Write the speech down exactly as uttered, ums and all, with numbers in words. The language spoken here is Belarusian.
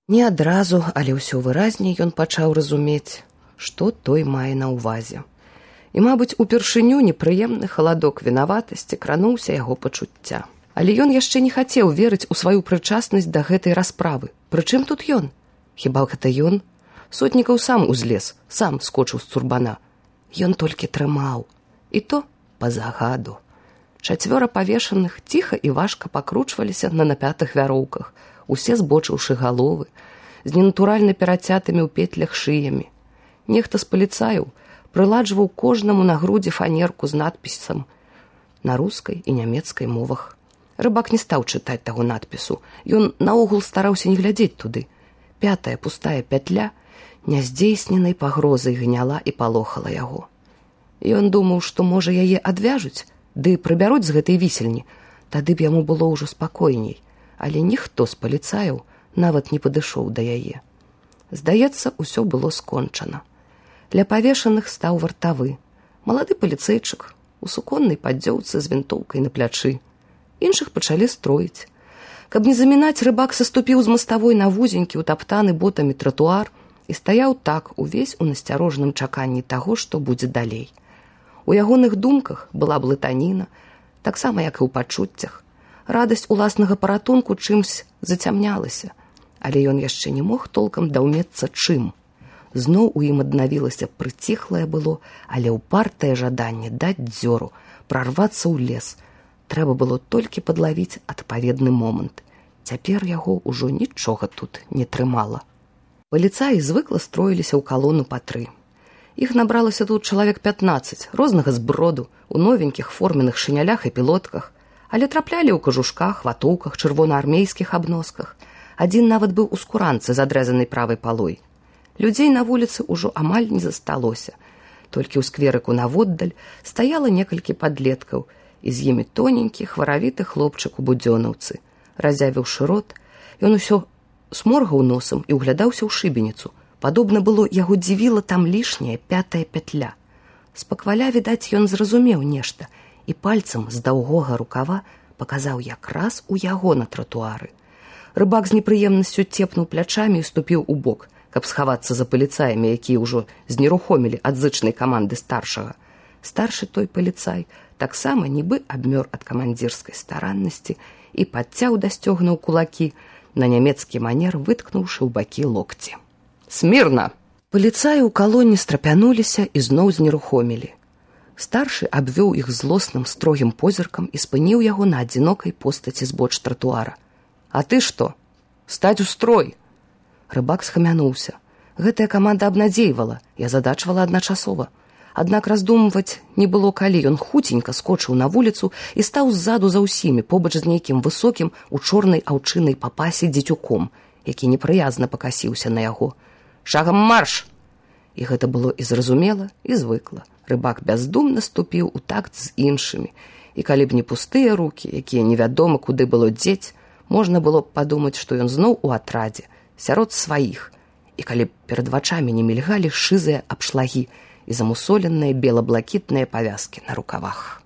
Не адразу, але ўсё выразней ён пачаў разумець, што той мае на ўвазе. І, мабыць, упершыню непрыемны халадок вінаватасці крануўся яго пачуцця. Але ён яшчэ не хацеў верыць у сваю прычаснасць да гэтай расправы. Прычым тут ён? Хіба гэта ён? Сотнікаў сам узлез, сам скочыў з цурбана. Ён толькі трымаў. І то па загаду. Чацвёра павешаных ціха і важка пакручваліся на напятых вяроўках, усе збочыўшы галовы, з ненатуральна перацятымі ў петлях шыямі. Нехта з паліцаяў прыладжваў кожнаму на грудзі фанерку з надпісам на рускай і нямецкай мовах. Рыбак не стаў чытаць таго надпісу. Ён наогул стараўся не глядзець туды. Пятая пустая пятля няздзейсненай пагрозай гняла і палохала яго. Ён думаў, што, можа, яе адвяжуць, ды прыбяруць з гэтай вісельні, тады б яму было ўжо спакойней. Але ніхто з паліцаяў нават не падышоў да яе. Здаецца, усё было скончана. Для павешаных стаў вартавы. Малады паліцэйчык у суконнай паддзёўцы з вінтоўкай на плячы. Іншых пачалі строіць. Каб не замінаць, рыбак саступіў з маставой на вузенькі, утаптаны ботамі тратуар і стаяў так увесь у насцярожным чаканні таго, што будзе далей. У ягоных думках была блытаніна, таксама як і ў пачуццях. Радасць уласнага паратунку чымсь зацямнялася, але ён яшчэ не мог толкам даўмецца чым. Зноў у ім аднавілася прыціхлае было, але ўпартае жаданне даць дзёру, прарвацца ў лес. Трэба было толькі падлавіць адпаведны момант. Цяпер яго ўжо нічога тут не трымала. Паліцаі звыкла строіліся ў калону па тры. Іх набралася тут чалавек пятнаццаць, рознага зброду, у новенькіх форменных шынялях і пілотках, але траплялі ў кажушках, ватоўках, чырвонаармейскіх абносках. Адзін нават быў у скуранцы з адрэзанай правай палой. Людзей на вуліцы ўжо амаль не засталося. Толькі ў скверыку наводдаль стаяла некалькі падлеткаў, і з імі тоненькі, хваравіты хлопчык у будзёнаўцы. Разявіўшы рот, ён усё сморгаў носам і ўглядаўся ў шыбеніцу. Падобна было, яго дзівіла там лішняя пятая пятля. Спакваля, відаць, ён зразумеў нешта, і пальцам з даўгога рукава паказаў якраз у яго на тратуары. Рыбак з непрыемнасцю цепнуў плячамі і ступіў у бок, каб схавацца за паліцаямі, якія ўжо знерухомілі ад зычнай каманды старшага. Старшы той паліцай таксама нібы абмёр ад камандзірскай стараннасці і падцяў дасцёгнуў кулакі, на нямецкі манер выткнуўшы ў бакі локці. «Смірна!» Паліцаі ў калоне страпянуліся і зноў знерухомілі. Старшы абвёў іх злосным строгім позіркам і спыніў яго на адзінокай постаці збоч тратуара. «А ты што? Стаць у строй!» Рыбак схамянуўся. Гэтая каманда абнадзейвала і азадачвала адначасова. Аднак раздумваць не было калі. Ён хуценька скочыў на вуліцу і стаў ззаду за ўсімі, побач з нейкім высокім у чорнай аўчынай папасе дзецюком, які непрыязна пакасіўся на яго. «Шагам марш!» І гэта было і зразумела, і звыкла. Рыбак бяздумна ступіў у такт з іншымі. І калі б не пустыя рукі, якія невядома куды было дзець, можна было б падумаць, што ён зноў у атрадзе, сярод сваіх. І калі б перад вачамі не мільгалі шызыя абшлагі і замусоленыя бела-блакітныя павязкі на рукавах.